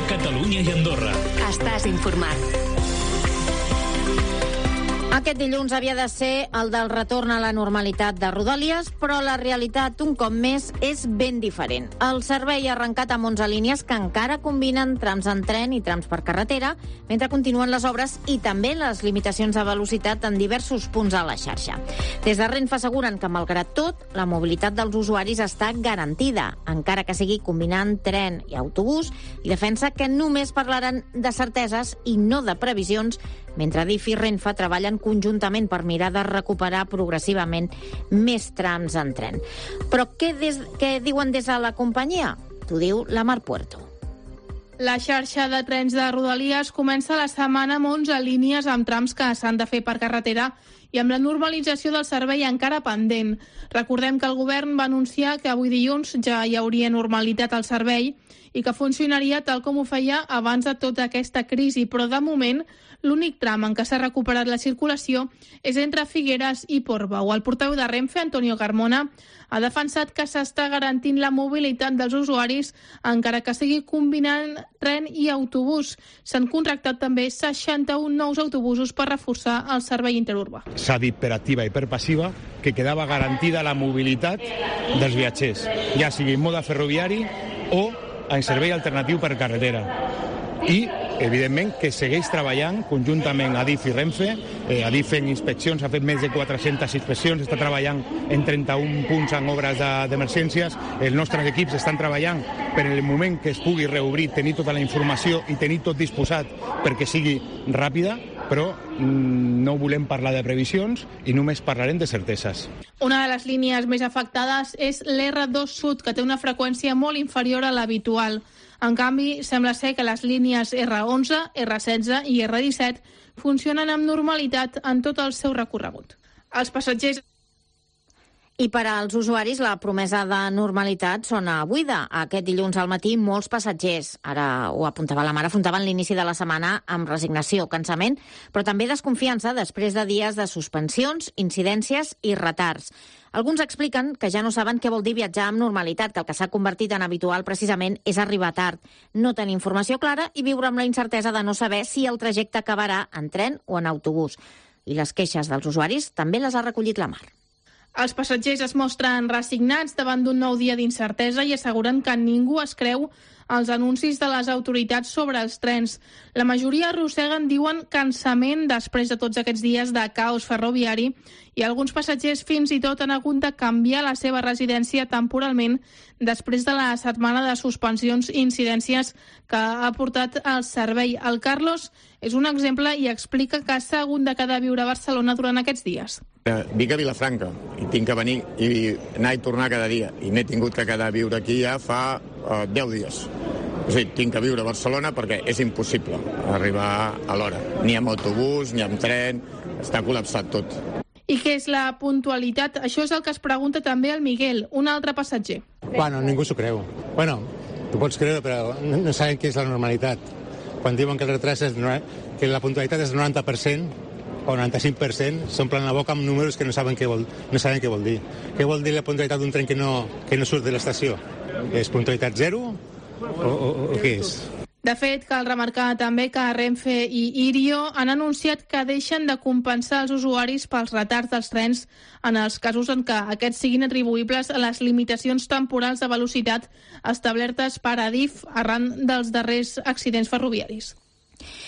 Catalunya i Andorra. Estàs informat. Aquest dilluns havia de ser el del retorn a la normalitat de Rodalies, però la realitat, un cop més, és ben diferent. El servei ha arrencat amb 11 línies que encara combinen trams en tren i trams per carretera, mentre continuen les obres i també les limitacions de velocitat en diversos punts a la xarxa. Des de Renfe asseguren que, malgrat tot, la mobilitat dels usuaris està garantida, encara que sigui combinant tren i autobús, i defensa que només parlaran de certeses i no de previsions, mentre Adif i Renfe treballen conjuntament per mirar de recuperar progressivament més trams en tren. Però què diuen des de la companyia? T'ho diu la Mar Puerto. La xarxa de trens de Rodalies comença la setmana amb 11 línies amb trams que s'han de fer per carretera i amb la normalització del servei encara pendent. Recordem que el govern va anunciar que avui dilluns ja hi hauria normalitat al servei i que funcionaria tal com ho feia abans de tota aquesta crisi, però de moment l'únic tram en què s'ha recuperat la circulació és entre Figueres i Portbou. El portaveu de Renfe, Antonio Carmona, ha defensat que s'està garantint la mobilitat dels usuaris encara que sigui combinant tren i autobús. S'han contractat també 61 nous autobusos per reforçar el servei interurbà. S'ha dit per activa i per passiva que quedava garantida la mobilitat dels viatgers, ja sigui en mode ferroviari o en servei alternatiu per carretera. I, evidentment, que segueix treballant conjuntament Adif i Renfe. Adif fent inspeccions, ha fet més de 400 inspeccions, està treballant en 31 punts en obres d'emergències. Els nostres equips estan treballant per en el moment que es pugui reobrir, tenir tota la informació i tenir tot disposat perquè sigui ràpida, però no volem parlar de previsions i només parlarem de certeses. Una de les línies més afectades és l'R2 Sud, que té una freqüència molt inferior a l'habitual. En canvi, sembla ser que les línies R11, R16 i R17 funcionen amb normalitat en tot el seu recorregut. Els passatgers... I per als usuaris la promesa de normalitat sona buida. Aquest dilluns al matí molts passatgers, ara ho apuntava la Mar, afrontaven l'inici de la setmana amb resignació, cansament, però també desconfiança després de dies de suspensions, incidències i retards. Alguns expliquen que ja no saben què vol dir viatjar amb normalitat, que el que s'ha convertit en habitual precisament és arribar tard, no tenir informació clara i viure amb la incertesa de no saber si el trajecte acabarà en tren o en autobús. I les queixes dels usuaris també les ha recollit la Mar. Els passatgers es mostren resignats davant d'un nou dia d'incertesa i asseguren que ningú es creu els anuncis de les autoritats sobre els trens. La majoria arrosseguen, diuen, cansament després de tots aquests dies de caos ferroviari i alguns passatgers fins i tot han hagut de canviar la seva residència temporalment després de la setmana de suspensions i incidències que ha portat el servei. El Carlos és un exemple i explica que s'ha hagut de quedar a viure a Barcelona durant aquests dies. Vinc a Vilafranca i tinc que venir i anar i tornar cada dia i m'he tingut que quedar a viure aquí ja fa 10 dies. O sigui, tinc que viure a Barcelona perquè és impossible arribar a l'hora. Ni amb autobús, ni amb tren, està col·lapsat tot. I què és la puntualitat? Això és el que es pregunta també el Miguel, un altre passatger. Bueno, ningú s'ho creu. Bueno, tu pots creure, però no saben què és la normalitat. Quan diuen que el retras que la puntualitat és del 90%, o 95%, s'omplen la boca amb números que no saben què vol dir. Què vol dir la puntualitat d'un tren que no surt de l'estació? És puntualitat zero o què és? De fet, cal remarcar també que Renfe i Irio han anunciat que deixen de compensar els usuaris pels retards dels trens en els casos en què aquests siguin atribuïbles a les limitacions temporals de velocitat establertes per Adif arran dels darrers accidents ferroviaris.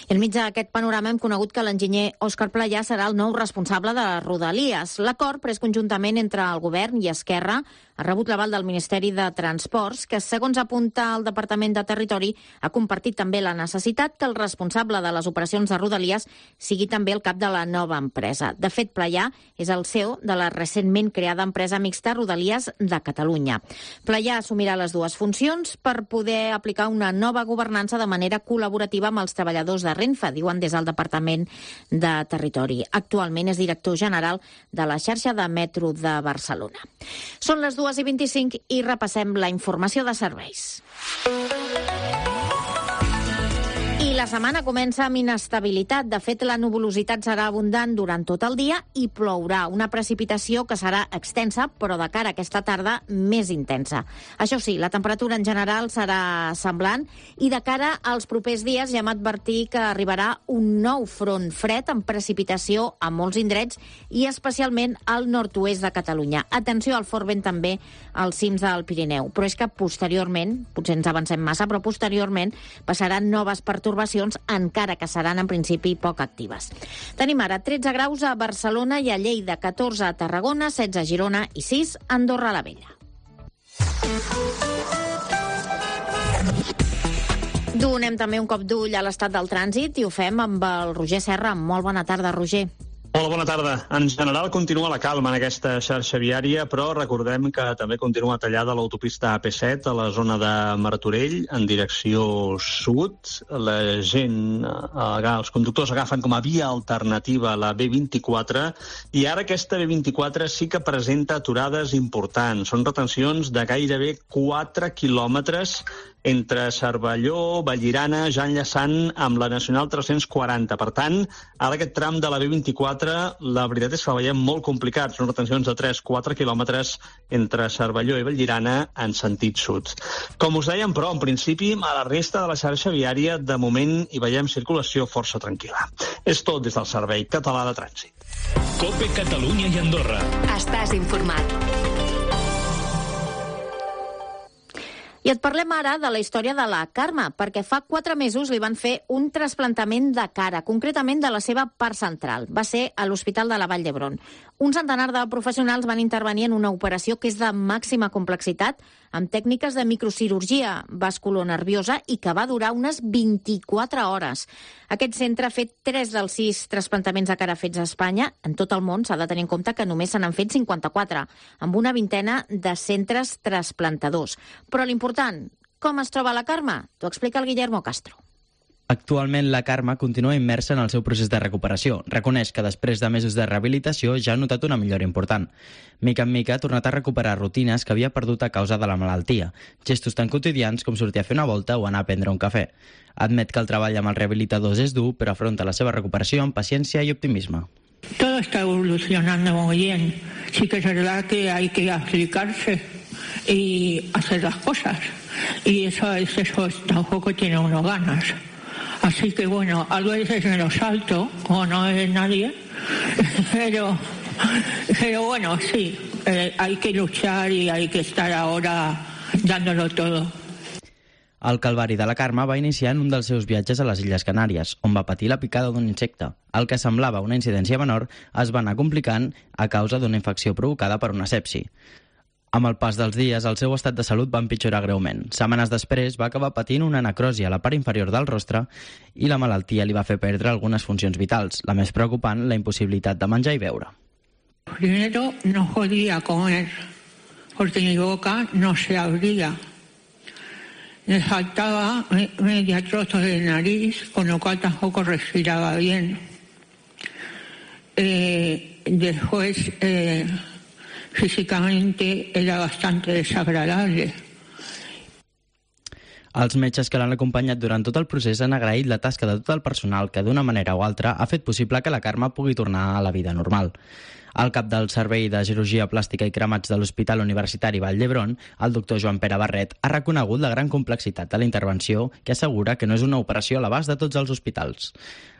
I enmig d'aquest panorama hem conegut que l'enginyer Òscar Playà serà el nou responsable de Rodalies. L'acord pres conjuntament entre el govern i Esquerra ha rebut l'aval del Ministeri de Transports, que, segons apunta el Departament de Territori, ha compartit també la necessitat que el responsable de les operacions de Rodalies sigui també el cap de la nova empresa. De fet, Playà és el CEO de la recentment creada empresa mixta Rodalies de Catalunya. Playà assumirà les dues funcions per poder aplicar una nova governança de manera col·laborativa amb els treballadors de Renfe, diuen des del Departament de Territori. Actualment és director general de la xarxa de metro de Barcelona. Són les 2:25 i repassem la informació de serveis. I la La setmana comença amb inestabilitat. De fet, la nuvolositat serà abundant durant tot el dia i plourà. Una precipitació que serà extensa, però de cara a aquesta tarda més intensa. Això sí, la temperatura en general serà semblant i de cara als propers dies ja hem advertit que arribarà un nou front fred amb precipitació a molts indrets i especialment al nord-oest de Catalunya. Atenció al fort vent també als cims del Pirineu. Però és que posteriorment, potser ens avancem massa, però posteriorment passaran noves pertorbacions, encara que seran en principi poc actives. Tenim ara 13 graus a Barcelona i a Lleida, 14 a Tarragona, 16 a Girona i 6 a Andorra la Vella. Donem també un cop d'ull a l'estat del trànsit i ho fem amb el Roger Serra. Molt bona tarda, Roger. Hola, bona tarda. En general continua la calma en aquesta xarxa viària, però recordem que també continua tallada l'autopista AP7 a la zona de Martorell en direcció sud. La gent, els conductors agafen com a via alternativa la B24 i ara aquesta B24 sí que presenta aturades importants. Són retencions de gairebé 4 quilòmetres entre Cervelló, Vallirana, ja enllaçant amb la Nacional 340. Per tant, ara aquest tram de la B24, la veritat és que el veiem molt complicat. Són retencions de 3-4 quilòmetres entre Cervelló i Vallirana en sentit sud. Com us dèiem, però, en principi, a la resta de la xarxa viària, de moment, hi veiem circulació força tranquil·la. És tot des del Servei Català de Trànsit. COPE Catalunya i Andorra. Estàs informat. I et parlem ara de la història de la Carme, perquè fa 4 mesos li van fer un trasplantament de cara, concretament de la seva part central. Va ser a l'Hospital de la Vall d'Hebron. Un centenar de professionals van intervenir en una operació que és de màxima complexitat, amb tècniques de microcirurgia vasculonerviosa i que va durar unes 24 hores. Aquest centre ha fet 3 dels 6 trasplantaments de cara fets a Espanya. En tot el món s'ha de tenir en compte que només se n'han fet 54, amb una vintena de centres trasplantadors. Però l'important, com es troba la Carme? T'ho explica el Guillermo Castro. Actualment, la Carme continua immersa en el seu procés de recuperació. Reconeix que després de mesos de rehabilitació ja ha notat una millora important. Mica en mica ha tornat a recuperar rutines que havia perdut a causa de la malaltia, gestos tan quotidians com sortir a fer una volta o anar a prendre un cafè. Admet que el treball amb els rehabilitadors és dur, però afronta la seva recuperació amb paciència i optimisme. Todo está evolucionando muy bien. Sí que es verdad que hay que aplicarse y hacer las cosas. Y eso tampoco tiene uno ganas. Así que bueno, a veces me lo salto, como no es nadie, pero bueno, sí, hay que luchar y hay que estar ahora dándolo todo. El calvari de la Carme va iniciar en un dels seus viatges a les Illes Canàries, on va patir la picada d'un insecte. El que semblava una incidència menor es va anar complicant a causa d'una infecció provocada per una sepsi. Amb el pas dels dies, el seu estat de salut va empitjorar greument. Setmanes després va acabar patint una necrosi a la part inferior del rostre i la malaltia li va fer perdre algunes funcions vitals. La més preocupant, la impossibilitat de menjar i beure. Primero no podía comer, porque mi boca no se abría. Me faltaba media trozo de nariz, con lo cual tampoco respiraba bien. Después, físicamente era bastante desagradable. Els metges que l'han acompanyat durant tot el procés han agraït la tasca de tot el personal que d'una manera o altra ha fet possible que la Carme pugui tornar a la vida normal. El cap del Servei de Cirurgia Plàstica i Cremats de l'Hospital Universitari Vall d'Hebron, el doctor Joan Pere Barret, ha reconegut la gran complexitat de la intervenció que assegura que no és una operació a l'abast de tots els hospitals.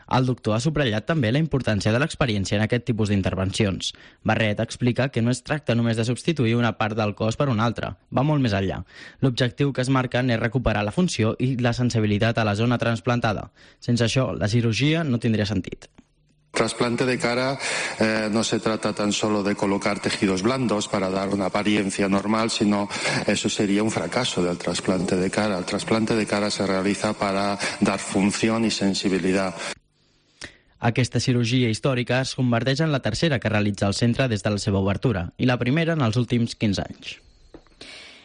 El doctor ha subratllat també la importància de l'experiència en aquest tipus d'intervencions. Barret explica que no es tracta només de substituir una part del cos per una altra, va molt més enllà. L'objectiu que es marquen és recuperar la funció i la sensibilitat a la zona trasplantada. Sense això, la cirurgia no tindria sentit. Trasplante de cara no se trata tan solo de colocar tejidos blandos para dar una apariencia normal, sino eso sería un fracaso del trasplante de cara. El trasplante de cara se realiza para dar función y sensibilidad. Aquesta cirurgia històrica es converteix en la tercera que realitza el centre des de la seva obertura i la primera en els últims 15 anys.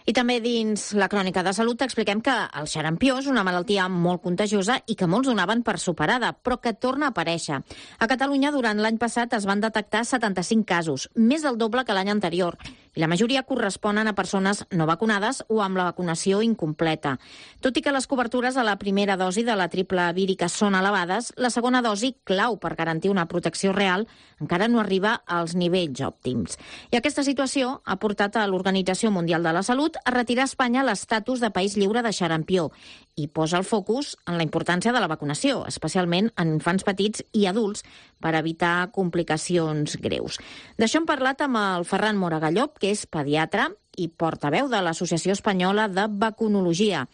I també dins la crònica de salut expliquem que el xarampió és una malaltia molt contagiosa i que molts donaven per superada, però que torna a aparèixer. A Catalunya, durant l'any passat, es van detectar 75 casos, més del doble que l'any anterior. i la majoria corresponen a persones no vacunades o amb la vacunació incompleta. Tot i que les cobertures a la primera dosi de la triple vírica són elevades, la segona dosi, clau per garantir una protecció real, encara no arriba als nivells òptims. I aquesta situació ha portat a l'Organització Mundial de la Salut a retirar a Espanya l'estatus de país lliure de xarampió i posa el focus en la importància de la vacunació, especialment en infants petits i adults, per evitar complicacions greus. D'això hem parlat amb el Ferran Moragallop, que és pediatre i portaveu de l'Associació Espanyola de Vacunologia.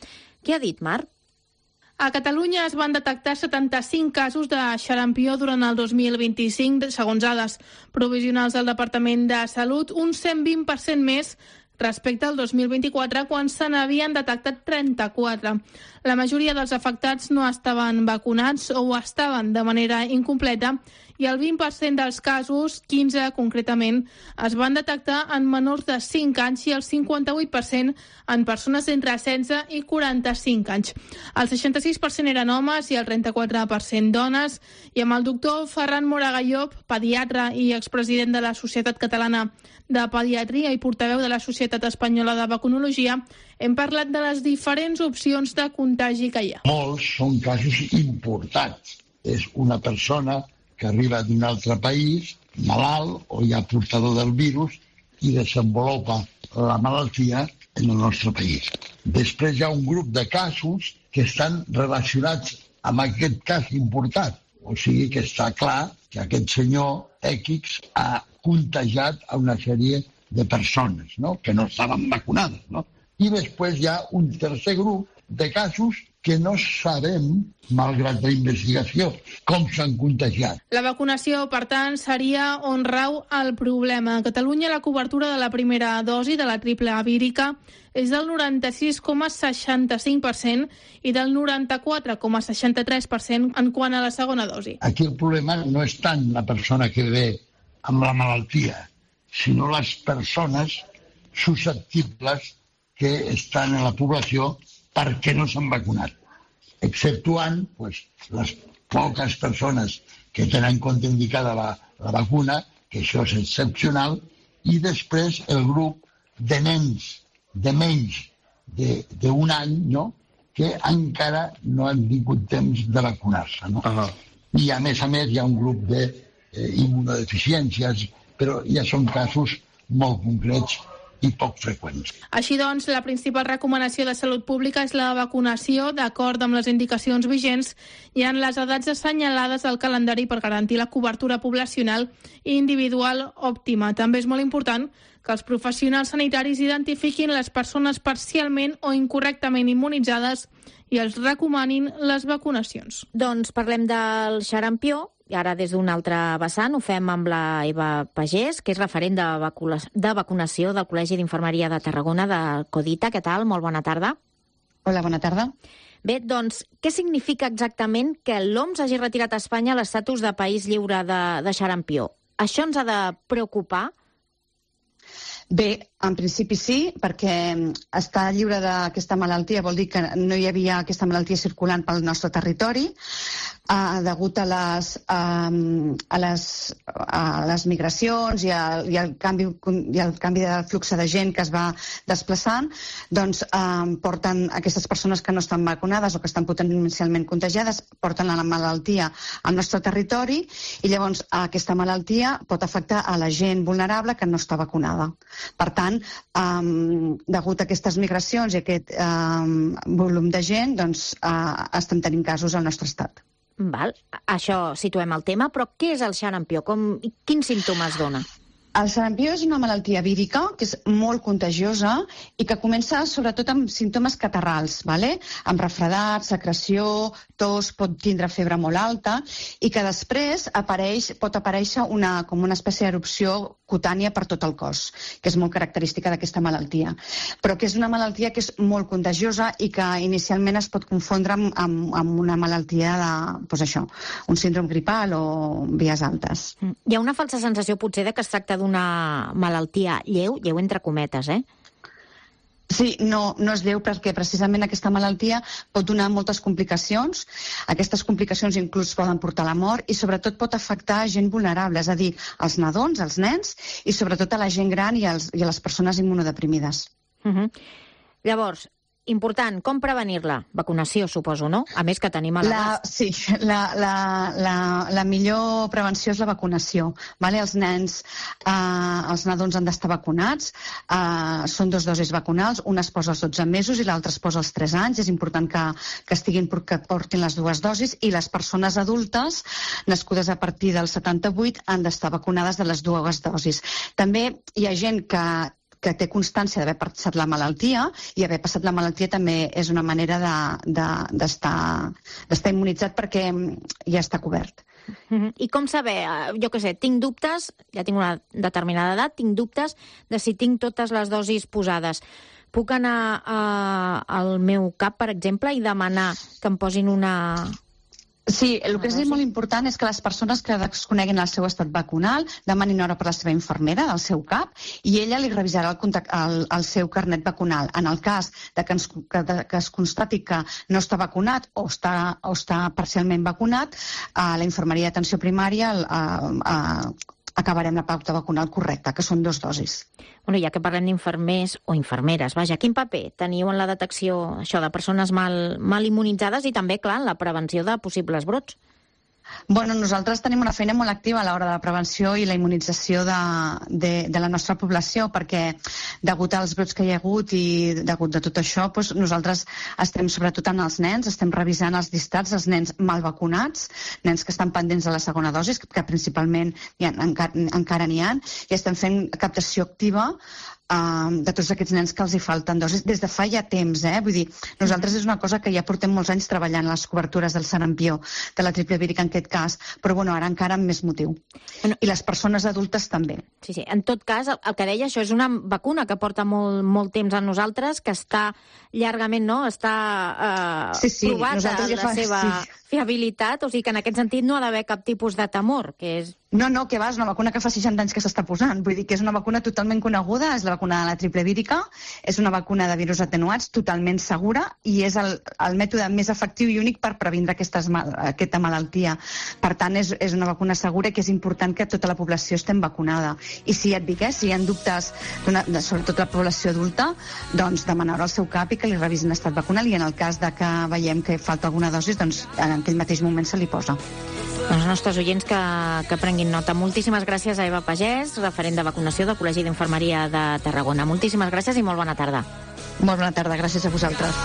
Què ha dit, Marc? A Catalunya es van detectar 75 casos de xarampió durant el 2025, segons dades provisionals del Departament de Salut, un 120% més respecte al 2024, quan se n'havien detectat 34. La majoria dels afectats no estaven vacunats o ho estaven de manera incompleta i el 20% dels casos, 15 concretament, es van detectar en menors de 5 anys i el 58% en persones entre 16 i 45 anys. El 66% eren homes i el 34% dones. I amb el doctor Ferran Moragallop, pediatre i expresident de la Societat Catalana de Pediatria i portaveu de la Societat Espanyola de Vacunologia, hem parlat de les diferents opcions de contagi que hi ha. Molts són casos importats. És una persona que arriba d'un altre país, malalt o ja portador del virus, i desenvolupa la malaltia en el nostre país. Després hi ha un grup de casos que estan relacionats amb aquest cas importat. O sigui que està clar que aquest senyor X ha contagiat a una sèrie de persones, no?, que no estaven vacunades, no? I després hi ha un tercer grup de casos que no sabem, malgrat la investigació, com s'han contagiat. La vacunació, per tant, seria on rau el problema. A Catalunya la cobertura de la primera dosi de la triple vírica és del 96,65% i del 94,63% en quant a la segona dosi. Aquí el problema no és tant la persona que ve amb la malaltia, sinó les persones susceptibles que estan en la població perquè no s'han vacunat, exceptuant les poques persones que tenen contraindicada la vacuna, que això és excepcional, i després el grup de nens de menys d'un any, no?, que encara no han tingut temps de vacunar-se, no? I a més hi ha un grup d'immunodeficiències, però ja són casos molt concrets i poc freqüents. Així doncs, la principal recomanació de salut pública és la vacunació, d'acord amb les indicacions vigents i en les edats assenyalades al calendari per garantir la cobertura poblacional i individual òptima. També és molt important que els professionals sanitaris identifiquin les persones parcialment o incorrectament immunitzades i els recomanin les vacunacions. Doncs parlem del xarampió. I ara des d'un altre vessant ho fem amb la Eva Pagès, que és referent de vacunació del Col·legi d'Infermeria de Tarragona, de Codita. Què tal? Molt bona tarda. Hola, bona tarda. Bé, doncs, què significa exactament que l'OMS hagi retirat a Espanya l'estatus de país lliure de xarampió? Això ens ha de preocupar? Bé, en principi sí, perquè estar lliure d'aquesta malaltia vol dir que no hi havia aquesta malaltia circulant pel nostre territori, degut a les migracions i al canvi de flux de gent que es va desplaçant, doncs porten aquestes persones que no estan vacunades o que estan potencialment contagiades, porten la malaltia al nostre territori i llavors aquesta malaltia pot afectar a la gent vulnerable que no està vacunada. Per tant, degut a aquestes migracions i aquest volum de gent, doncs estem tenint casos al nostre estat. Val. Això situem el tema, però què és el xarampió? Quins símptomes dona? El xarampió és una malaltia vírica que és molt contagiosa i que comença sobretot amb símptomes catarrals, amb refredat, secreció, tos, pot tindre febre molt alta i que després pot aparèixer com una espècie d'erupció cutània per tot el cos, que és molt característica d'aquesta malaltia. Però que és una malaltia que és molt contagiosa i que inicialment es pot confondre amb una malaltia un síndrome gripal o vies altes. Hi ha una falsa sensació potser de que es tracta d'una malaltia lleu entre cometes, Sí, no és lleu perquè precisament aquesta malaltia pot donar moltes complicacions. Aquestes complicacions inclús poden portar a la mort i sobretot pot afectar a gent vulnerable, és a dir, als nadons, als nens i sobretot a la gent gran i a les persones immunodeprimides. Llavors, important, com prevenir-la? Vacunació, suposo, no? A més que tenim a l'abast. Sí, la millor prevenció és la vacunació. Vale? Els nadons han d'estar vacunats, són 2 dosis vacunals, una es posa als 12 mesos i l'altra es posa als 3 anys. És important que portin les 2 dosis i les persones adultes nascudes a partir del 78 han d'estar vacunades de les 2 dosis. També hi ha gent que té constància d'haver passat la malaltia, i haver passat la malaltia també és una manera d'estar immunitzat perquè ja està cobert. I com saber, jo què sé, tinc dubtes, ja tinc una determinada edat, tinc dubtes de si tinc totes les dosis posades. Puc anar al meu CAP, per exemple, i demanar que em posin una... Sí, el que és molt important és que les persones que desconeguin el seu estat vacunal demanin hora per la seva infermera del seu CAP i ella li revisarà el seu carnet vacunal. En el cas que es constati que no està vacunat o està parcialment vacunat, a la infermeria d'atenció primària acabarem la pauta vacunal correcta, que són 2 dosis. Bueno, ja que parlem d'infermers o infermeres, vaja, quin paper teniu en la detecció de persones mal immunitzades i també, clar, en la prevenció de possibles brots? Bueno, nosaltres tenim una feina molt activa a l'hora de la prevenció i la immunització de la nostra població, perquè degut als brots que hi ha hagut i degut de tot això, doncs nosaltres estem sobretot en els nens, estem revisant els llistats dels nens mal vacunats, nens que estan pendents de la segona dosi, que principalment encara n'hi ha, i estem fent captació activa de tots aquests nens que els hi falten dosis des de fa ja temps, vull dir, nosaltres és una cosa que ja portem molts anys treballant, les cobertures del sarampió, de la triple vírica en aquest cas, però bueno, ara encara amb més motiu. I les persones adultes també. Sí, en tot cas, el que deia, això és una vacuna que porta molt temps a nosaltres, que està llargament, no?, està provada la seva fiabilitat, o sigui que en aquest sentit no ha d'haver cap tipus de temor, que és... No, que va, és una vacuna que fa 60 anys que s'està posant, vull dir que és una vacuna totalment coneguda, és la vacuna de la triple vírica, és una vacuna de virus atenuats, totalment segura, i és el mètode més efectiu i únic per previndre aquesta malaltia. Per tant, és una vacuna segura i que és important que tota la població estem vacunada. I si et dic, si hi ha dubtes, sobretot la població adulta, doncs demanar al seu CAP i que li revisin l'estat vacunal i en el cas de que veiem que falta alguna dosi, doncs en aquell mateix moment se li posa. Els nostres oients que prenguin nota. Moltíssimes gràcies a Eva Pagès, referent de vacunació del Col·legi d'Infermeria de Tarragona. Moltíssimes gràcies i molt bona tarda. Molt bona tarda, gràcies a vosaltres.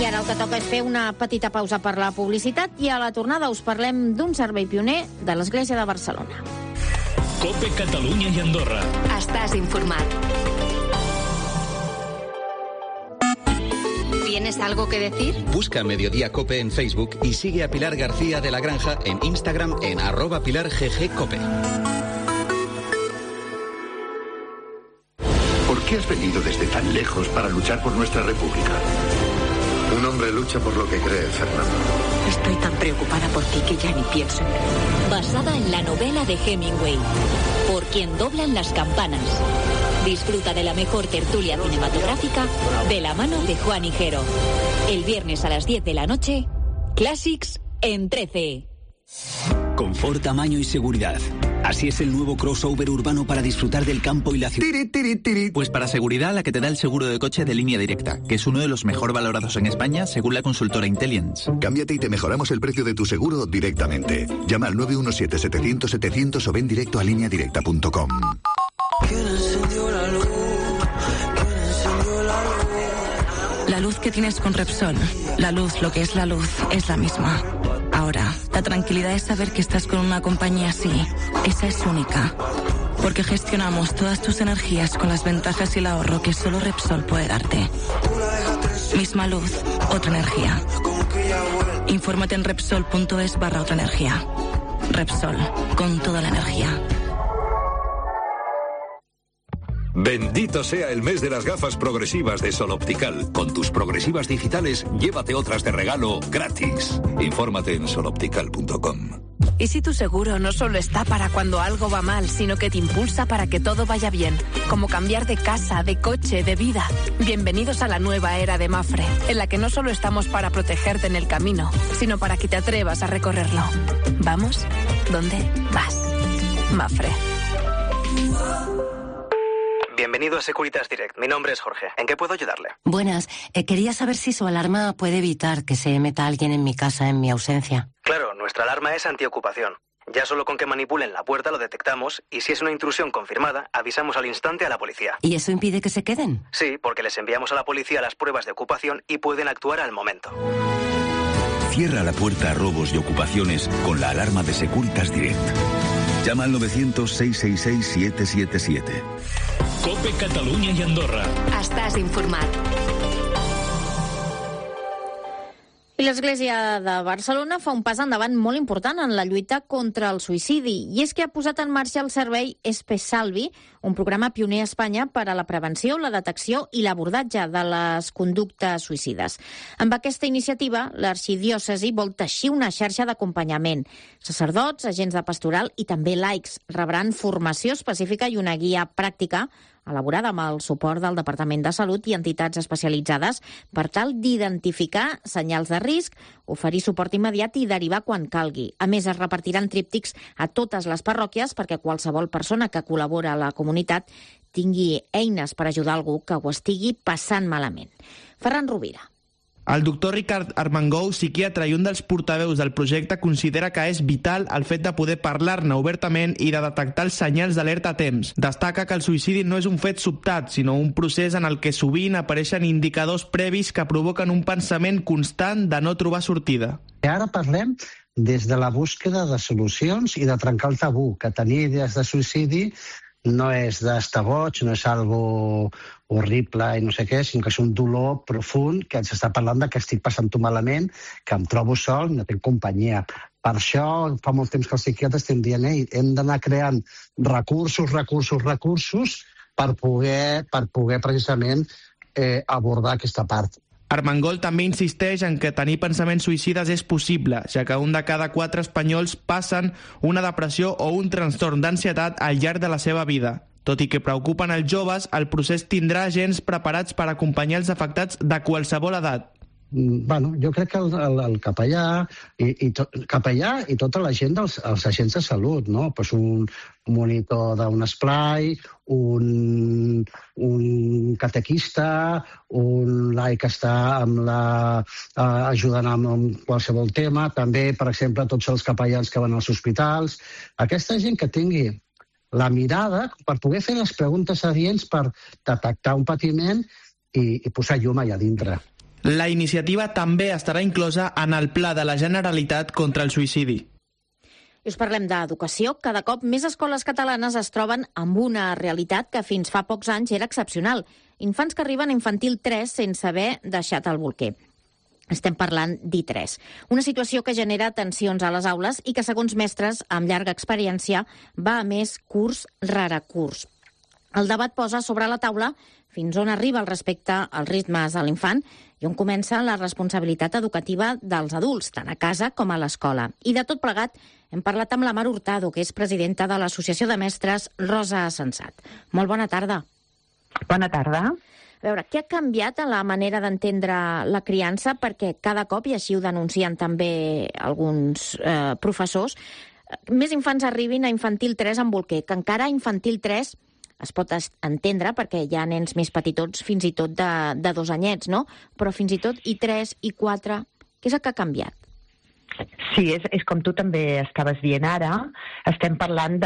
I ara el que toca és fer una petita pausa per la publicitat i a la tornada us parlem d'un servei pioner de l'Església de Barcelona. COPE Catalunya i Andorra. Estàs informat. ¿Tienes algo que decir? Busca Mediodía Cope en Facebook y sigue a Pilar García de la Granja en Instagram en @PilarGGCope. ¿Por qué has venido desde tan lejos para luchar por nuestra república? Un hombre lucha por lo que cree, Fernando. Estoy tan preocupada por ti que ya ni pienso en ti. Basada en la novela de Hemingway, Por quien doblan las campanas. Disfruta de la mejor tertulia cinematográfica de la mano de Juan Higuero. El viernes a las 10 de la noche, Classics en 13. Confort, tamaño y seguridad. Así es el nuevo crossover urbano para disfrutar del campo y la ciudad. Pues para seguridad, la que te da el seguro de coche de Línea Directa, que es uno de los mejor valorados en España según la consultora Intelliance. Cámbiate y te mejoramos el precio de tu seguro directamente. Llama al 917-700-700 o ven directo a lineadirecta.com. La luz que tienes con Repsol, la luz, lo que es la luz, es la misma. Ahora, la tranquilidad es saber que estás con una compañía así. Esa es única. Porque gestionamos todas tus energías con las ventajas y el ahorro que solo Repsol puede darte. Misma luz, otra energía. Infórmate en Repsol.es/otra energía. Repsol, con toda la energía. Bendito sea el mes de las gafas progresivas de Sol Optical. Con tus progresivas digitales, llévate otras de regalo gratis. Infórmate en soloptical.com. ¿Y si tu seguro no solo está para cuando algo va mal, sino que te impulsa para que todo vaya bien? Como cambiar de casa, de coche, de vida. Bienvenidos a la nueva era de Mapfre, en la que no solo estamos para protegerte en el camino, sino para que te atrevas a recorrerlo. ¿Vamos? ¿Dónde vas? Mapfre. Bienvenido a Securitas Direct. Mi nombre es Jorge. ¿En qué puedo ayudarle? Buenas. Quería saber si su alarma puede evitar que se meta alguien en mi casa en mi ausencia. Claro, nuestra alarma es antiocupación. Ya solo con que manipulen la puerta lo detectamos y si es una intrusión confirmada, avisamos al instante a la policía. ¿Y eso impide que se queden? Sí, porque les enviamos a la policía las pruebas de ocupación y pueden actuar al momento. Cierra la puerta a robos y ocupaciones con la alarma de Securitas Direct. Llama al 900-666-777. COPE Catalunya i Andorra. Estàs informat. I l'Església de Barcelona fa un pas endavant molt important en la lluita contra el suïcidi, i és que ha posat en marxa el servei Espesalvi, un programa pioner a Espanya per a la prevenció, la detecció i l'abordatge de les conductes suïcides. Amb aquesta iniciativa, l'arxidiòcesi vol teixir una xarxa d'acompanyament. Sacerdots, agents de pastoral i també laics rebran formació específica i una guia pràctica elaborada amb el suport del Departament de Salut i entitats especialitzades per tal d'identificar senyals de risc, oferir suport immediat i derivar quan calgui. A més, es repartiran tríptics a totes les parròquies perquè qualsevol persona que col·labora a la comunitat tingui eines per ajudar algú que ho estigui passant malament. Ferran Rovira. El doctor Ricard Armengou, psiquiatre i un dels portaveus del projecte, considera que és vital el fet de poder parlar-ne obertament i de detectar els senyals d'alerta a temps. Destaca que el suïcidi no és un fet sobtat, sinó un procés en el que sovint apareixen indicadors previs que provoquen un pensament constant de no trobar sortida. Ara parlem des de la búsqueda de solucions i de trencar el tabú, que tenir idees de suïcidi no és d'estar boig, no és algo horrible i no sé què, sinó que és un dolor profund que ens està parlant de que estic passant-ho malament, que em trobo sol, no tinc companyia. Per això fa molt temps que els psiquiatres estem dient hem d'anar creant recursos per poder precisament abordar aquesta part. Armengol també insisteix en que tenir pensaments suïcides és possible, ja que un de cada 4 espanyols passen una depressió o un trastorn d'ansietat al llarg de la seva vida. Tot i que preocupen els joves, el procés tindrà agents preparats per acompanyar els afectats de qualsevol edat. Bueno, jo crec que el capellà i tota la gent dels agents de salut, no? Pues un monitor d'un esplai, un catequista, un laic que està ajudant amb qualsevol tema, també, per exemple, tots els capellans que van als hospitals. Aquesta gent que tingui la mirada per poder fer les preguntes adients per detectar un patiment i posar llum allà dintre. La iniciativa també estarà inclosa en el Pla de la Generalitat contra el suïcidi. I us parlem d'educació. Cada cop més escoles catalanes es troben amb una realitat que fins fa pocs anys era excepcional. Infants que arriben a infantil 3 sense haver deixat el bolquer. Estem parlant d'I3. Una situació que genera tensions a les aules i que, segons mestres amb llarga experiència, va a més curs rere curs. El debat posa sobre la taula fins on arriba el respecte als ritmes de l'infant i on comença la responsabilitat educativa dels adults, tant a casa com a l'escola. I de tot plegat hem parlat amb la Mar Hurtado, que és presidenta de l'Associació de Mestres Rosa Sensat. Molt bona tarda. Bona tarda. A veure, què ha canviat en la manera d'entendre la criança? Perquè cada cop, i així ho denuncien també alguns professors, més infants arribin a infantil 3 amb bolquer, que encara a infantil 3 es pot entendre perquè hi ha nens més petitots fins i tot de 2 anyets, no? Però fins i tot I3, I4, què és el que ha canviat? Sí, és com tu també estaves dient ara, estem parlant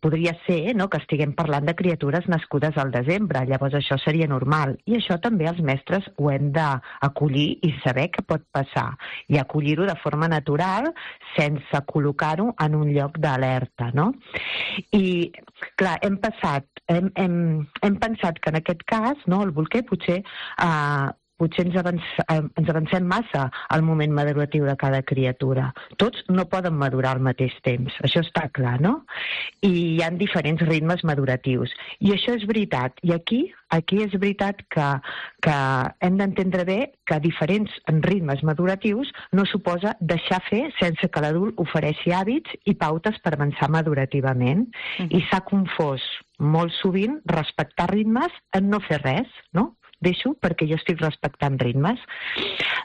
podria ser, no?, que estiguem parlant de criatures nascudes al desembre, llavors això seria normal, i això també els mestres ho hem d'acollir i saber què pot passar, i acollir-ho de forma natural sense col·locar-ho en un lloc d'alerta, no? I, clar, hem pensat que en aquest cas, no, el bolquer potser potser ens avancem massa al moment maduratiu de cada criatura. Tots no poden madurar al mateix temps, això està clar, no? I hi ha diferents ritmes maduratius. I això és veritat. I aquí és veritat que hem d'entendre bé que diferents ritmes maduratius no suposa deixar fer sense que l'adult ofereixi hàbits i pautes per avançar madurativament. I s'ha confós molt sovint respectar ritmes en no fer res, no? Deixo perquè jo estic respectant ritmes.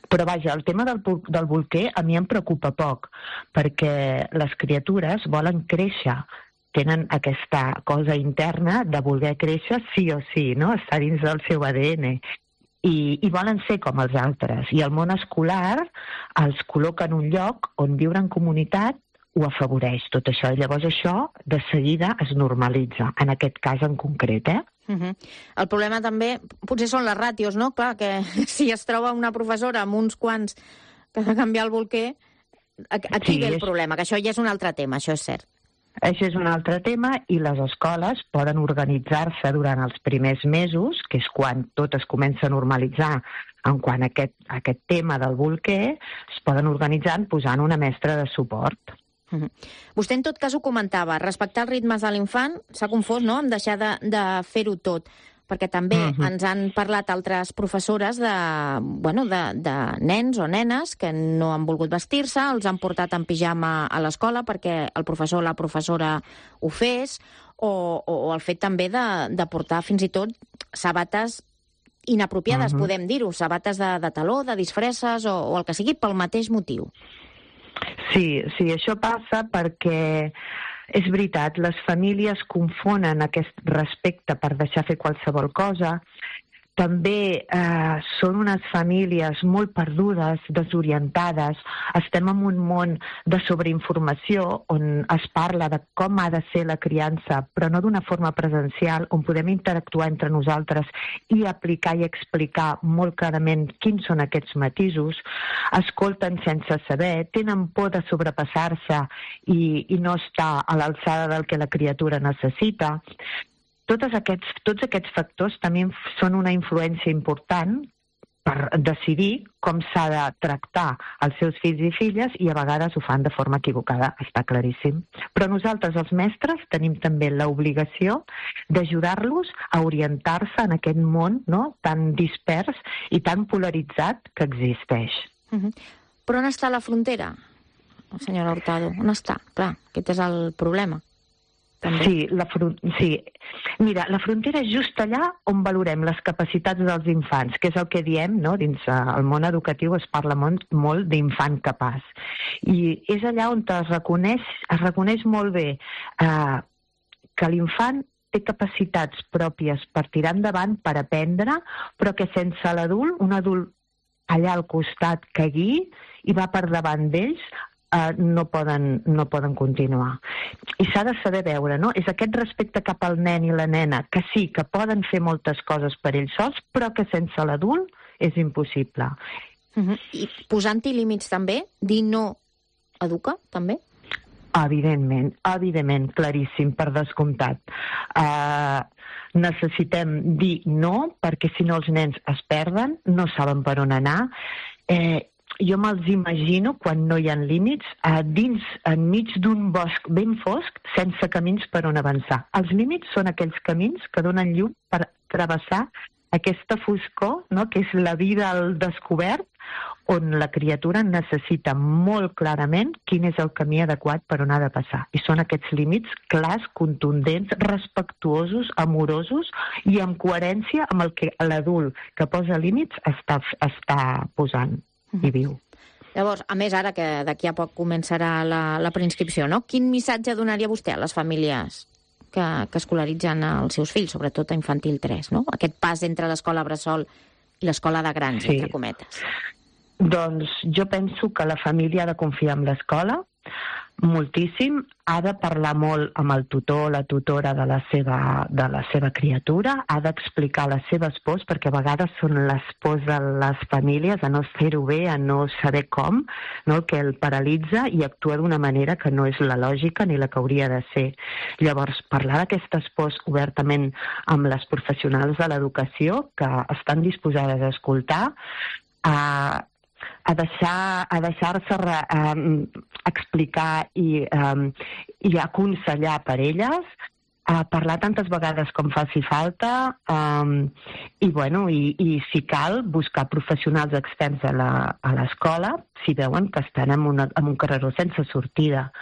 Però vaja, el tema del bolquer a mi em preocupa poc, perquè les criatures volen créixer, tenen aquesta cosa interna de voler créixer sí o sí, no? Està dins del seu ADN. I volen ser com els altres. I el món escolar els col·loca en un lloc on viure en comunitat ho afavoreix, tot això. I llavors això, de seguida, es normalitza, en aquest cas en concret, El problema també potser són les ràtios, no? Clar, que si es troba una professora amb uns quants que ha de canviar el bolquer, aquí ve el problema, que això ja és un altre tema, això és cert. Això és un altre tema i les escoles poden organitzar-se durant els primers mesos, que és quan tot es comença a normalitzar en quant a aquest tema del bolquer, es poden organitzar posant una mestra de suport. Vostè en tot cas ho comentava, respectar els ritmes de l'infant s'ha confós, no?, en deixar de fer-ho tot, perquè també ens han parlat altres professores de nens o nenes que no han volgut vestir-se, els han portat en pijama a l'escola perquè el professor o la professora ho fes, o el fet també de portar fins i tot sabates inapropiades, podem dir-ho, sabates de taló, de disfresses o el que sigui, pel mateix motiu. Sí, això passa perquè és veritat, les famílies confonen aquest respecte per deixar fer qualsevol cosa. També són unes famílies molt perdudes, desorientades. Estem en un món de sobreinformació on es parla de com ha de ser la criança, però no d'una forma presencial, on podem interactuar entre nosaltres i aplicar i explicar molt clarament quins són aquests matisos. Escolten sense saber, tenen por de sobrepassar-se i no estar a l'alçada del que la criatura necessita. Tots aquests factors també són una influència important per decidir com s'ha de tractar els seus fills i filles i a vegades ho fan de forma equivocada, està claríssim. Però nosaltres, els mestres, tenim també l'obligació d'ajudar-los a orientar-se en aquest món, no?, tan dispers i tan polaritzat que existeix. Però on està la frontera, senyora Hurtado? On està? Clar, aquest és el problema. Sí, mira, la frontera és just allà on valorem les capacitats dels infants, que és el que diem, no? Dins el món educatiu es parla molt d'infant capaç. I és allà on es reconeix molt bé que l'infant té capacitats pròpies per tirar endavant, per aprendre, però que sense l'adult, un adult allà al costat que guiï i va per davant d'ells, no poden continuar. I s'ha de saber veure, no? És aquest respecte cap al nen i la nena, que sí, que poden fer moltes coses per ells sols, però que sense l'adult és impossible. I posant-hi límits també? Dir no educa, també? Evidentment, claríssim, per descomptat. Necessitem dir no, perquè si no els nens es perden, no saben per on anar. Jo me'ls imagino, quan no hi ha límits, enmig d'un bosc ben fosc, sense camins per on avançar. Els límits són aquells camins que donen llum per travessar aquesta foscor, no?, que és la vida al descobert, on la criatura necessita molt clarament quin és el camí adequat per on ha de passar. I són aquests límits clars, contundents, respectuosos, amorosos i amb coherència amb el que l'adult que posa límits està posant i viu. Llavors, a més, ara que d'aquí a poc començarà la preinscripció, no? Quin missatge donaria vostè a les famílies que escolaritzen els seus fills, sobretot a infantil 3, no? Aquest pas entre l'escola bressol i l'escola de grans, entre cometes. Doncs jo penso que la família ha de confiar en l'escola, moltíssim, ha de parlar molt amb el tutor o la tutora de la seva criatura, ha d'explicar les seves pors, perquè a vegades són les pors de les famílies, a no fer-ho bé, a no saber com, no? El que el paralitza i actua d'una manera que no és la lògica ni la que hauria de ser. Llavors, parlar d'aquestes pors obertament amb les professionals de l'educació, que estan disposades a escoltar, a deixar-se explicar i aconsellar per elles, a parlar tantes vegades com faci falta i si cal, buscar professionals externs a l'escola si veuen que estan en un carreró sense sortida.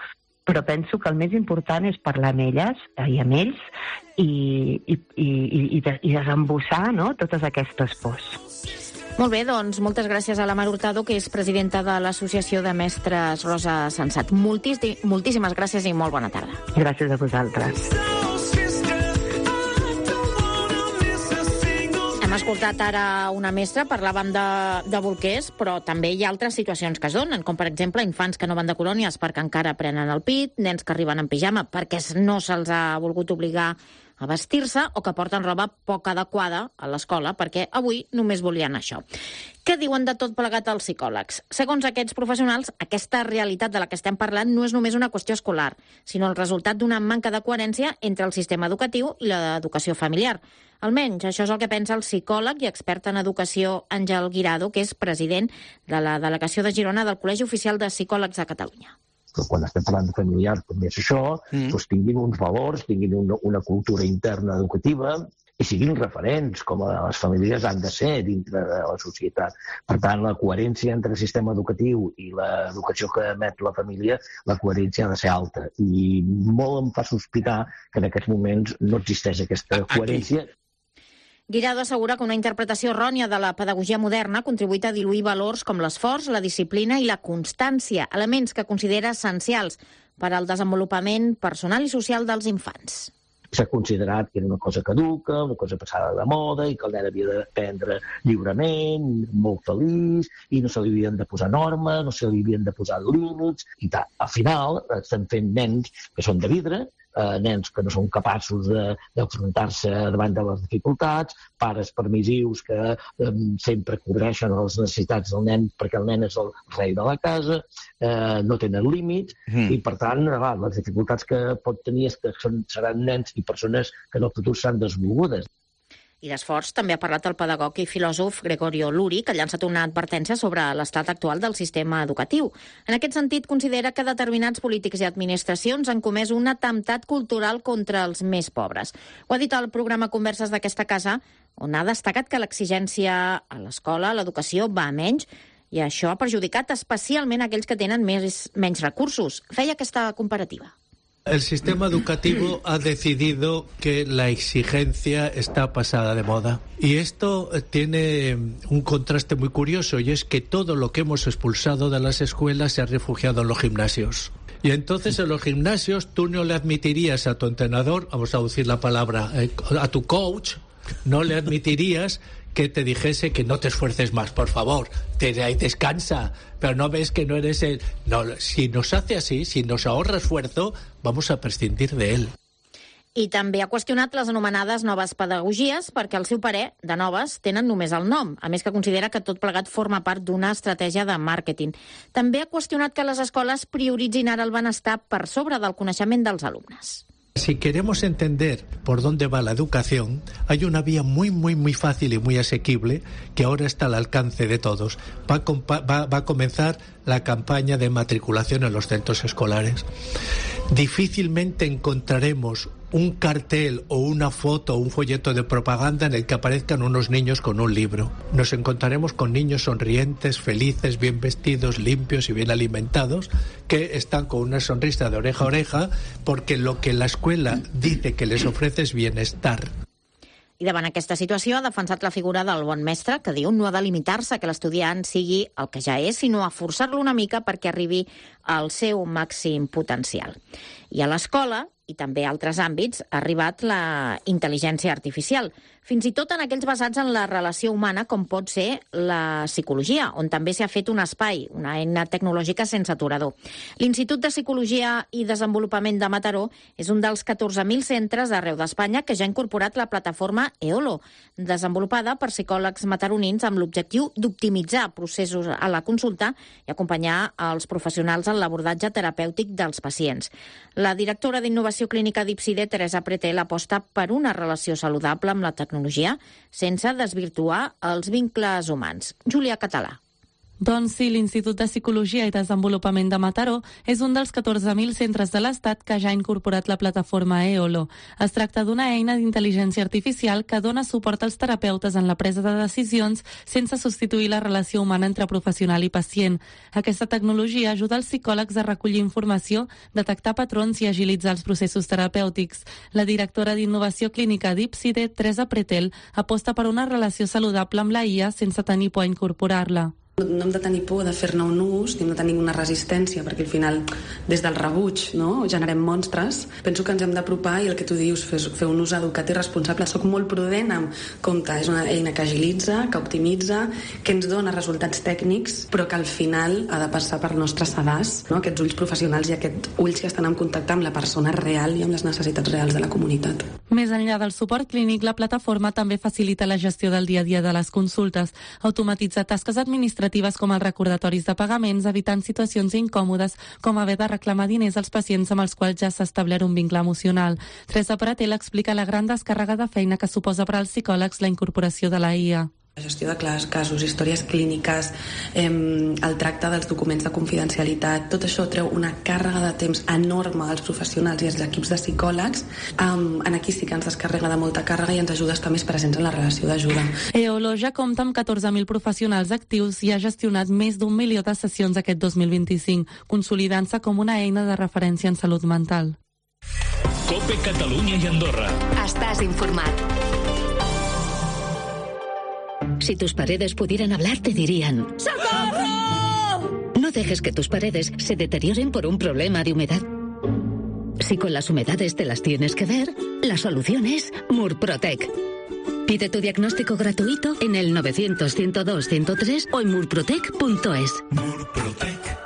Però penso que el més important és parlar amb elles i amb ells i desembussar, no?, totes aquestes pors. Molt bé, doncs moltes gràcies a la Mar Hurtado, que és presidenta de l'Associació de Mestres Rosa Sensat. Moltíssimes gràcies i molt bona tarda. Gràcies a vosaltres. Hem escoltat ara una mestra, parlàvem de bolquers, però també hi ha altres situacions que es donen, com per exemple infants que no van de colònies perquè encara prenen el pit, nens que arriben en pijama perquè no se'ls ha volgut obligar a vestir-se o que porten roba poc adequada a l'escola perquè avui només volien això. Què diuen de tot plegat els psicòlegs? Segons aquests professionals, aquesta realitat de la que estem parlant no és només una qüestió escolar, sinó el resultat d'una manca de coherència entre el sistema educatiu i l'educació familiar. Almenys això és el que pensa el psicòleg i expert en educació Àngel Guirado, que és president de la delegació de Girona del Col·legi Oficial de Psicòlegs de Catalunya. Que quan estem parlant de familiars també és això, doncs tinguin uns valors, tinguin una cultura interna educativa i siguin referents, com les famílies han de ser dintre de la societat. Per tant, la coherència entre el sistema educatiu i l'educació que emet la família, la coherència ha de ser alta. I molt em fa sospitar que en aquests moments no existeix aquesta coherència. Guirado assegura que una interpretació errònia de la pedagogia moderna ha contribuït a diluir valors com l'esforç, la disciplina i la constància, elements que considera essencials per al desenvolupament personal i social dels infants. S'ha considerat que era una cosa caduca, una cosa passada de moda i que el nen havia d'aprendre lliurement, molt feliç, i no se li havien de posar normes, no se li havien de posar límits, i tal. Al final estan fent nens que són de vidre, nens que no són capaços d'enfrontar-se davant de les dificultats, pares permissius que sempre cobreixen les necessitats del nen perquè el nen és el rei de la casa, no tenen límits, i per tant les dificultats que pot tenir és que seran nens i persones que en el futur seran desvolgudes. I d'esforç també ha parlat el pedagog i filòsof Gregorio Luri, que ha llançat una advertència sobre l'estat actual del sistema educatiu. En aquest sentit, considera que determinats polítics i administracions han comès un atemptat cultural contra els més pobres. Ho ha dit al programa Converses d'aquesta casa, on ha destacat que l'exigència a l'escola, a l'educació, va a menys, i això ha perjudicat especialment aquells que tenen menys recursos. Feia aquesta comparativa. El sistema educativo ha decidido que la exigencia está pasada de moda. Y esto tiene un contraste muy curioso, y es que todo lo que hemos expulsado de las escuelas se ha refugiado en los gimnasios. Y entonces en los gimnasios tú no le admitirías a tu entrenador, vamos a decir la palabra, a tu coach, no le admitirías que te dijese que no te esfuerces más, por favor, descansa, pero no ves que no eres el... No, si nos hace así, si nos ahorra esfuerzo, vamos a prescindir de él. I també ha qüestionat les anomenades noves pedagogies perquè, al seu parer, de noves tenen només el nom, a més que considera que tot plegat forma part d'una estratègia de màrqueting. També ha qüestionat que les escoles prioritzin ara el benestar per sobre del coneixement dels alumnes. Si queremos entender por dónde va la educación, hay una vía muy fácil y muy asequible que ahora está al alcance de todos. Va a comenzar la campaña de matriculación en los centros escolares. Difícilmente encontraremos un cartel o una foto o un folleto de propaganda en el que aparezcan unos niños con un libro. Nos encontraremos con niños sonrientes, felices, bien vestidos, limpios y bien alimentados, que están con una sonrisa de oreja a oreja porque lo que la escuela dice que les ofrece es bienestar. I davant aquesta situació ha defensat la figura del bon mestre, que diu no ha de limitar-se que l'estudiant sigui el que ja és, sinó a forçar-lo una mica perquè arribi al seu màxim potencial. I a l'escola i també altres àmbits, ha arribat la intel·ligència artificial, fins i tot en aquells basats en la relació humana, com pot ser la psicologia, on també s'ha fet un espai, una eina tecnològica sense aturador. L'Institut de Psicologia i Desenvolupament de Mataró és un dels 14.000 centres d'arreu d'Espanya que ja ha incorporat la plataforma EOLO, desenvolupada per psicòlegs mataronins amb l'objectiu d'optimitzar processos a la consulta i acompanyar els professionals en l'abordatge terapèutic dels pacients. La directora d'Innovació Clínica d'Ipside, Teresa Pretel, aposta per una relació saludable amb la tecnologia sense desvirtuar els vincles humans. Júlia Català. Doncs sí, l'Institut de Psicologia i Desenvolupament de Mataró és un dels 14.000 centres de l'Estat que ja ha incorporat la plataforma EOLO. Es tracta d'una eina d'intel·ligència artificial que dona suport als terapeutes en la presa de decisions sense substituir la relació humana entre professional i pacient. Aquesta tecnologia ajuda els psicòlegs a recollir informació, detectar patrons i agilitzar els processos terapèutics. La directora d'Innovació Clínica d'Ipside, Teresa Pretel, aposta per una relació saludable amb la IA sense tenir por a incorporar-la. No hem de tenir por de fer-ne un ús, ni hem de tenir una resistència, perquè al final, des del rebuig, no, generem monstres. Penso que ens hem d'apropar i el que tu dius, fer un ús educat i responsable. Soc molt prudent amb compte. És una eina que agilitza, que optimitza, que ens dona resultats tècnics, però que al final ha de passar per nostres sedars, no? Aquests ulls professionals i aquests ulls que estan en contacte amb la persona real i amb les necessitats reals de la comunitat. Més enllà del suport clínic, la plataforma també facilita la gestió del dia a dia de les consultes, automatitza tasques administratives com els recordatoris de pagaments, evitant situacions incòmodes com haver de reclamar diners als pacients amb els quals ja s'ha establert un vincle emocional. Teresa Pretel explica la gran descàrrega de feina que suposa per als psicòlegs la incorporació de la IA. La gestió de casos, històries clíniques, el tracte dels documents de confidencialitat, tot això treu una càrrega de temps enorme als professionals i als equips de psicòlegs. Aquí sí que ens descarrega de molta càrrega i ens ajuda a estar més presents en la relació d'ajuda. EOLO ja compta amb 14.000 professionals actius i ha gestionat més d'1 milió de sessions aquest 2025, consolidant-se com una eina de referència en salut mental. COPE Catalunya i Andorra. Estàs informat. Si tus paredes pudieran hablar, te dirían: ¡socorro! No dejes que tus paredes se deterioren por un problema de humedad. Si con las humedades te las tienes que ver, la solución es Murprotec. Pide tu diagnóstico gratuito en el 900-102-103 o en murprotec.es. Murprotec.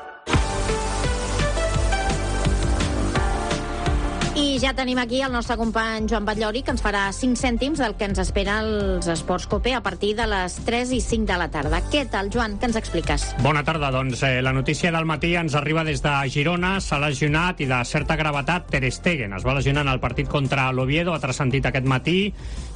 I ja tenim aquí el nostre company Joan Batllori, que ens farà 5 cèntims del que ens espera els Esports COPE a partir de les 3 i 5 de la tarda. Què tal, Joan? Què ens expliques? Bona tarda. Doncs la notícia del matí ens arriba des de Girona. S'ha lesionat i de certa gravetat Ter Stegen. Es va lesionar en el partit contra l'Oviedo, ha transcendit aquest matí.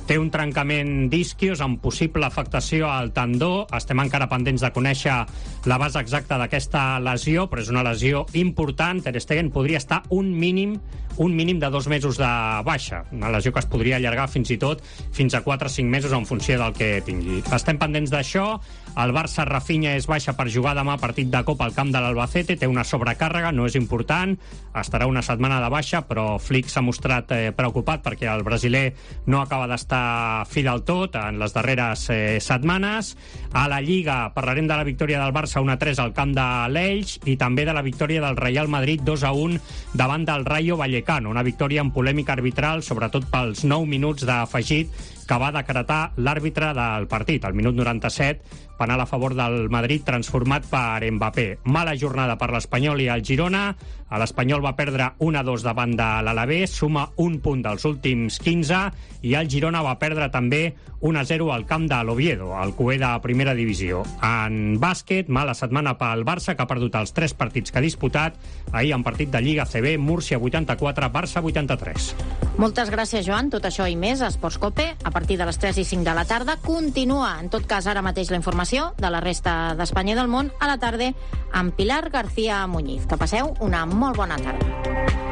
Té un trencament d'isquios amb possible afectació al tendó. Estem encara pendents de conèixer la base exacta d'aquesta lesió, però és una lesió important. Ter Stegen podria estar un mínim de 2 mesos de baixa. Una lesió que es podria allargar fins i tot fins a 4 o 5 mesos en funció del que tingui. Estem pendents d'això. El Barça, Rafinha és baixa per jugar demà partit de Copa al camp de l'Albacete. Té una sobrecàrrega, no és important. Estarà una setmana de baixa, però Flick s'ha mostrat preocupat perquè el brasiler no acaba d'estar fi del tot en les darreres setmanes. A la Lliga parlarem de la victòria del Barça 1-3 al camp de l'Elx i també de la victòria del Real Madrid 2-1 davant del Rayo Vallecano. Una victòria amb polèmica arbitral, sobretot pels 9 minuts d'afegit que va decretar l'àrbitre del partit. Al minut 97, penal a favor del Madrid transformat per Mbappé. Mala jornada per l'Espanyol i el Girona. L'Espanyol va perdre 1-2 davant de l'Alavés, suma un punt dels últims 15, i el Girona va perdre també 1-0 al camp de l'Oviedo, al cué de primera divisió. En bàsquet, mala setmana pel Barça, que ha perdut els 3 partits que ha disputat. Ahir en partit de Lliga CB, Múrcia 84, Barça 83. Moltes gràcies, Joan. Tot això i més a Esports COPE a partir de les 3 i 5 de la tarda. Continua, en tot cas, ara mateix la informació de la resta d'Espanya i del món a la tarda amb Pilar García Muñiz. Que passeu una molt bona tarda.